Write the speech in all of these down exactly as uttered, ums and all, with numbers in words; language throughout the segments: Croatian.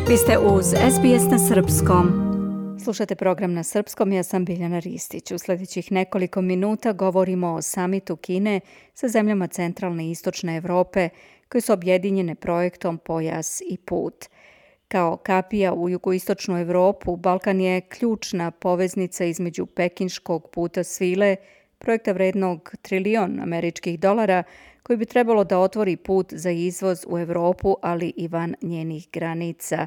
Vi ste uz S B S na srpskom. Slušate program na srpskom, ja sam Biljana Ristić. U sljedećih nekoliko minuta govorimo o samitu Kine sa zemljama centralne i istočne Evrope koje su objedinjene projektom Pojas i put. Kao kapija u jugoistočnu Evropu, Balkan je ključna poveznica između pekinškog puta svile, projekta vrednog trilion američkih dolara, koji bi trebalo da otvori put za izvoz u Evropu, ali i van njenih granica.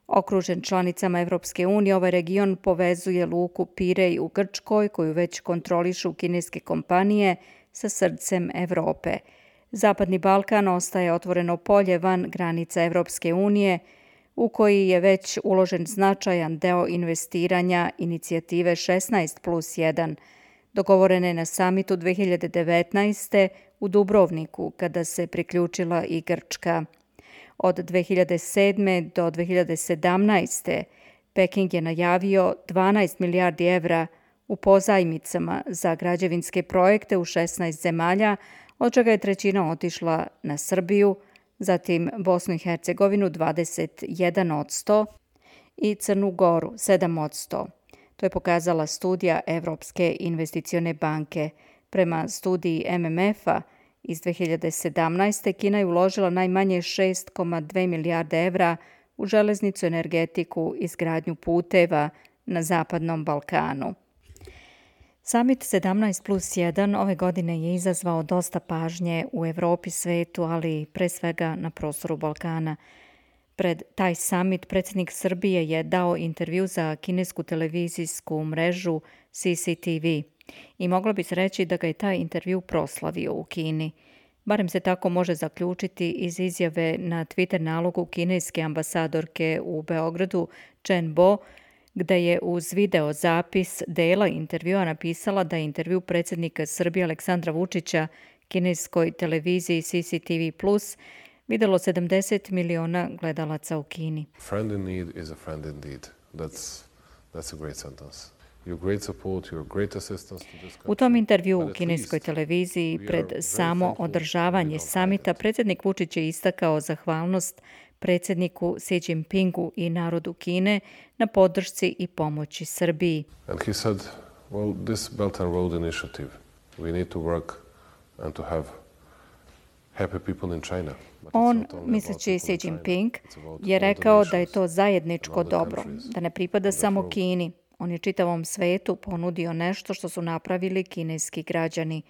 Okružen članicama Evropske unije, ovaj region povezuje luku Pirej u Grčkoj, koju već kontrolišu kineske kompanije, sa srcem Evrope. Zapadni Balkan ostaje otvoreno polje van granica Evropske unije, u koji je već uložen značajan deo investiranja inicijative šesnaest plus jedan, dogovorene na samitu dve hiljade devetnaeste. u Dubrovniku, kada se priključila i Grčka. Od dve hiljade sedme. do dve hiljade sedamnaeste. Peking je najavio dvanaest milijardi evra u pozajmicama za građevinske projekte u šesnaest zemalja, od čega je trećina otišla na Srbiju, zatim Bosnu i Hercegovinu dvadeset jedan posto i Crnu Goru sedam posto. To je pokazala studija Evropske investicione banke. Prema studiji M M F-a iz dve hiljade sedamnaeste. Kina je uložila najmanje šest zarez dve milijarde evra u železnicu, energetiku i izgradnju puteva na Zapadnom Balkanu. Samit sedamnaest plus jedan ove godine je izazvao dosta pažnje u Evropi, svetu, ali pre svega na prostoru Balkana. Pred taj samit predsjednik Srbije je dao intervju za kinesku televizijsku mrežu C C T V. I moglo bi se reći da ga je taj intervju proslavio u Kini. Barem se tako može zaključiti iz izjave na Twitter nalogu kineske ambasadorke u Beogradu Chen Bo, gde je uz video zapis dela intervjua napisala da je intervju predsjednika Srbije Aleksandra Vučića kineskoj televiziji C C T V plus videlo sedamdeset miliona gledalaca u Kini. Friend in need is a friend indeed. That's, that's a great sentence. Your great support, your great assistance to this country. U tom intervju u kineskoj televiziji pred samo održavanje samita predsjednik Vučić je istakao zahvalnost predsjedniku Xi Jinpingu i narodu Kine na podršci i pomoći Srbiji. And he said, well, this Belt and Road initiative, we need to work and to have happy people in China. On, misleći Xi Jinping, je rekao da je to zajedničko dobro, da ne pripada samo Kini. On je čitavom svetu ponudio nešto što su napravili kineski građani.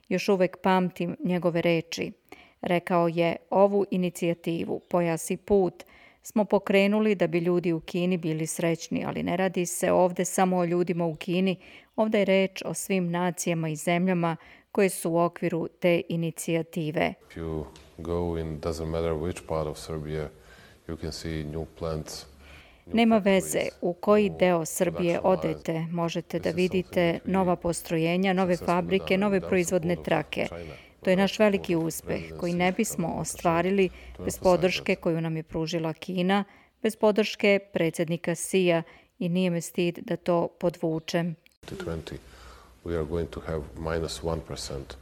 Još uvek pamtim njegove reči. Rekao je, ovu inicijativu, Pojas i put, smo pokrenuli da bi ljudi u Kini bili srećni, ali ne radi se ovde samo o ljudima u Kini, ovde je reč o svim nacijama i zemljama koje su u okviru te inicijative. If you go in, doesn't matter which part of Serbia, you can see new plants. Nema veze u koji deo Srbije odete, možete da vidite nova postrojenja, nove fabrike, nove proizvodne trake. To je naš veliki uspeh koji ne bismo ostvarili bez podrške koju nam je pružila Kina, bez podrške predsjednika Xija i nije me stid da to podvučem. We are going to have minus one percent.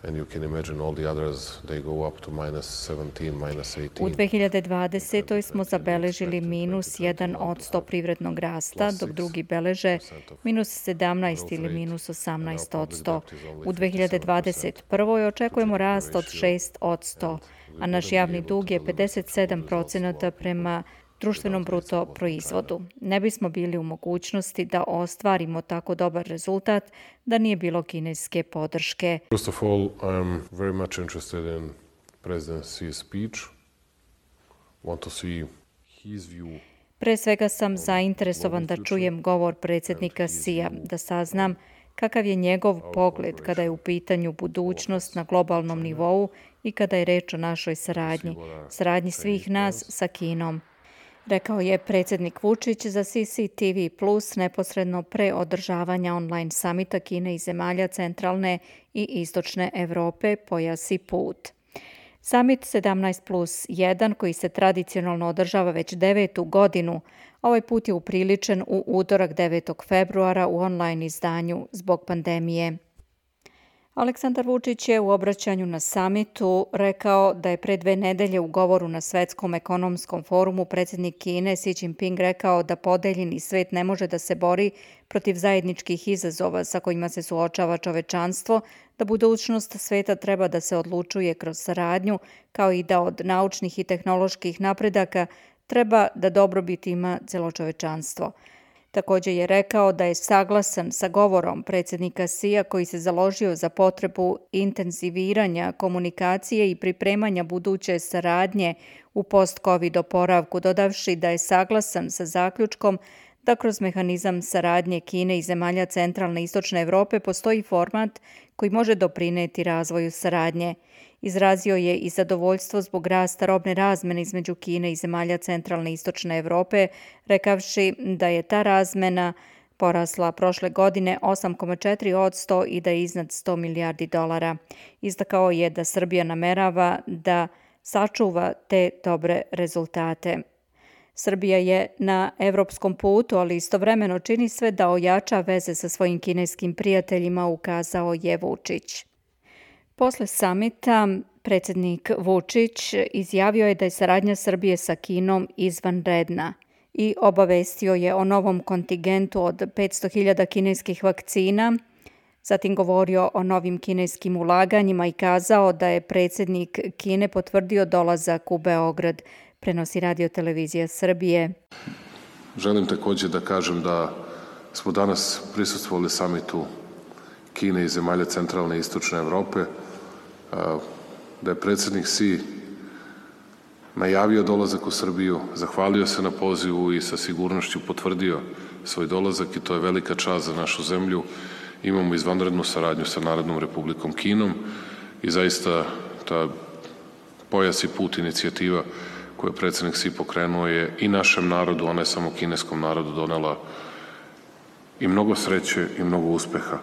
And you can imagine all the others, they go up to minus seventeen, minus eighteen. U dve hiljade dvadesetoj. smo zabeležili minus jedan odsto privrednog rasta, dok drugi beleže minus sedamnaest ili minus osamnaest odsto. U dve hiljade dvadeset prvoj. očekujemo rast od šest odsto, a naš javni dug je pedeset sedam procenata prema društvenom bruto proizvodu. Ne bismo bili u mogućnosti da ostvarimo tako dobar rezultat da nije bilo kineske podrške. First of all, I'm very much interested in President Xi's speech. Want to see his view. Pre svega sam zainteresovan da čujem govor predsjednika Xija, da saznam kakav je njegov pogled kada je u pitanju budućnost na globalnom nivou i kada je reč o našoj saradnji, saradnji svih nas sa Kinom. Rekao je predsjednik Vučić za C C T V plus neposredno pre održavanja online samita Kine i zemalja centralne i istočne Evrope Pojas i put. Samit sedamnaest plus jedan, koji se tradicionalno održava već devetu godinu, ovaj put je upriličen u utorak devetog februara u online izdanju zbog pandemije. Aleksandar Vučić je u obraćanju na samitu rekao da je pre dve nedelje u govoru na Svetskom ekonomskom forumu predsjednik Kine Xi Jinping rekao da podeljeni svet ne može da se bori protiv zajedničkih izazova sa kojima se suočava čovečanstvo, da budućnost sveta treba da se odlučuje kroz saradnju, kao i da od naučnih i tehnoloških napredaka treba da dobrobit ima celo čovečanstvo. Također je rekao da je saglasan sa govorom predsjednika Xija koji se založio za potrebu intenziviranja komunikacije i pripremanja buduće saradnje u post-covid oporavku, dodavši da je saglasan sa zaključkom da kroz mehanizam saradnje Kine i zemalja centralne i istočne Evrope postoji format koji može doprineti razvoju saradnje. Izrazio je i zadovoljstvo zbog rasta robne razmene između Kine i zemalja centralne i istočne Evrope, rekavši da je ta razmena porasla prošle godine osam zarez četiri posto i da je iznad sto milijardi dolara. Istakao je da Srbija namerava da sačuva te dobre rezultate. Srbija je na evropskom putu, ali istovremeno čini sve da ojača veze sa svojim kineskim prijateljima, ukazao je Vučić. Posle samita predsjednik Vučić izjavio je da je saradnja Srbije sa Kinom izvanredna i obavestio je o novom kontingentu od petsto hiljada kineskih vakcina, zatim govorio o novim kineskim ulaganjima i kazao da je predsjednik Kine potvrdio dolazak u Beograd, prenosi Radio televizija Srbije. Želim također da kažem da smo danas prisustvovali samitu Kine i zemalja centralne i istočne Evrope, da je predsjednik Xi najavio dolazak u Srbiju, zahvalio se na pozivu i sa sigurnošću potvrdio svoj dolazak i to je velika čast za našu zemlju. Imamo izvanrednu saradnju sa Narodnom Republikom Kinom i zaista ta pojas i put inicijativa koju je predsjednik Xi pokrenuo je i našem narodu, a ne samo kineskom narodu, donela i mnogo sreće i mnogo uspeha.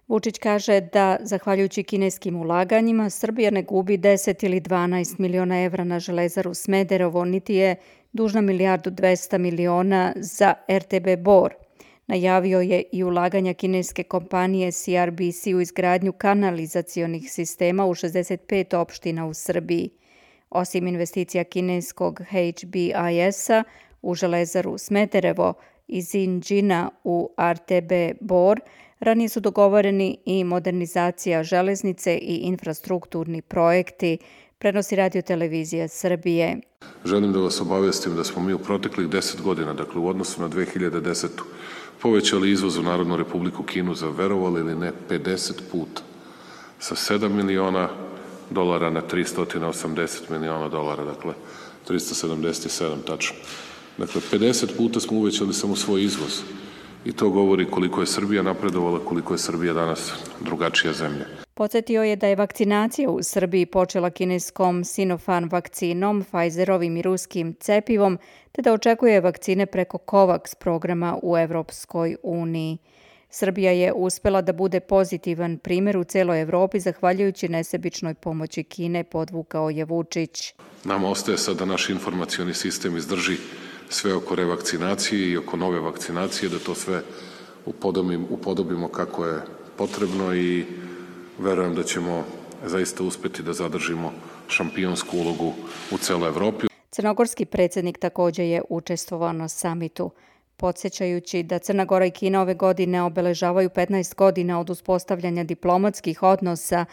Vučić kaže da, zahvaljujući kineskim ulaganjima, Srbija ne gubi deset ili dvanaest miliona evra na Železaru Smederevo, niti je dužna milijardu dvesta miliona za er te be Bor. Najavio je i ulaganja kineske kompanije C R B C u izgradnju kanalizacionih sistema u šezdeset pet opština u Srbiji. Osim investicija kineskog H B I S-a u Železaru Smederevo i Zinđina u er te be Bor, ranije su dogovoreni i modernizacija železnice i infrastrukturni projekti, prenosi Radio televizija Srbije. Želim da vas obavestim da smo mi u proteklih deset godina, dakle u odnosu na dve hiljade desetu. povećali izvoz u Narodnu Republiku Kinu za, verovali ili ne, pedeset puta. Sa sedam miliona dolara na tristo osamdeset miliona dolara, dakle tristo sedamdeset sedam tačno. Dakle, pedeset puta smo uvećali samo svoj izvoz. I to govori koliko je Srbija napredovala, koliko je Srbija danas drugačija zemlja. Podsjetio je da je vakcinacija u Srbiji počela kineskom Sinopharm vakcinom, Pfizerovim i ruskim cepivom, te da očekuje vakcine preko COVAX programa u Evropskoj uniji. Srbija je uspela da bude pozitivan primjer u celoj Evropi zahvaljujući nesebičnoj pomoći Kine, podvukao je Vučić. Nama ostaje sad da naš informacioni sistem izdrži sve oko revakcinacije i oko nove vakcinacije, da to sve upodobimo, upodobimo kako je potrebno i verujem da ćemo zaista uspeti da zadržimo šampionsku ulogu u celoj Evropi. Crnogorski predsjednik također je učestvovao na samitu, podsjećajući da Crna Gora i Kina ove godine obeležavaju petnaest godina od uspostavljanja diplomatskih odnosa.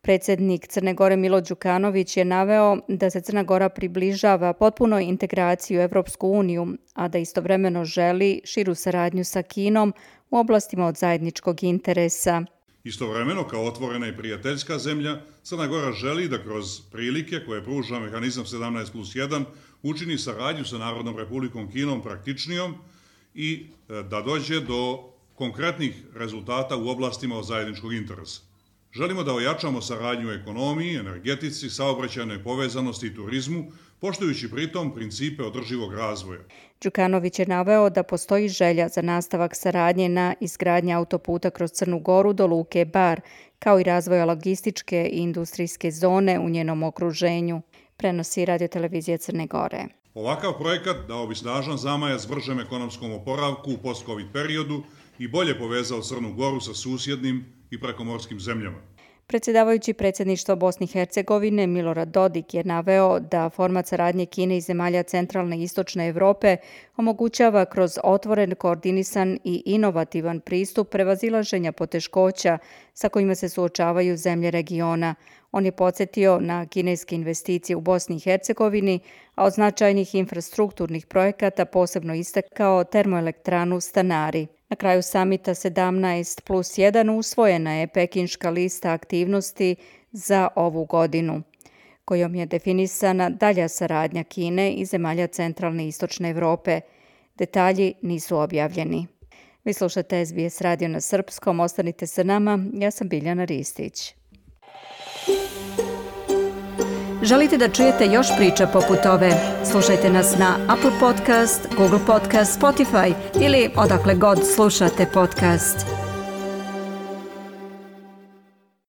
Predsjednik Crne Gore Milo Đukanović je naveo da se Crna Gora približava potpunoj integraciji u Evropsku uniju, a da istovremeno želi širu saradnju sa Kinom u oblastima od zajedničkog interesa. Istovremeno, kao otvorena i prijateljska zemlja, Crna Gora želi da kroz prilike koje pruža mehanizam sedamnaest plus jedan učini saradnju sa Narodnom Republikom Kinom praktičnijom i da dođe do konkretnih rezultata u oblastima od zajedničkog interesa. Želimo da ojačamo saradnju u ekonomiji, energetici, saobraćajnoj povezanosti i turizmu, poštujući pritom principe održivog razvoja. Đukanović je naveo da postoji želja za nastavak saradnje na izgradnji autoputa kroz Crnu Goru do luke Bar, kao i razvoja logističke i industrijske zone u njenom okruženju, prenosi Radio televizija Crne Gore. Ovakav projekat dao bi snažan zamajac bržem ekonomskom oporavku u post-covid periodu i bolje povezao Crnu Goru sa susjednim i prekomorskim zemljama. Predsjedavajući predsjedništva Bosne i Hercegovine Milorad Dodik je naveo da format saradnje Kine i zemalja centralne i istočne Evrope omogućava kroz otvoren, koordinisan i inovativan pristup prevazilaženja poteškoća sa kojima se suočavaju zemlje regiona. On je podsjetio na kineske investicije u Bosni i Hercegovini, a od značajnih infrastrukturnih projekata posebno istakao termoelektranu Stanari. Na kraju samita sedamnaest plus jedan usvojena je pekinška lista aktivnosti za ovu godinu, kojom je definisana dalja saradnja Kine i zemalja centralne i istočne Evrope. Detalji nisu objavljeni. Vi slušate S B S radio na srpskom, ostanite sa nama, ja sam Biljana Ristić. Želite da čujete još priča poput ove? Slušajte nas na Apple Podcast, Google Podcast, Spotify ili odakle god slušate podcast.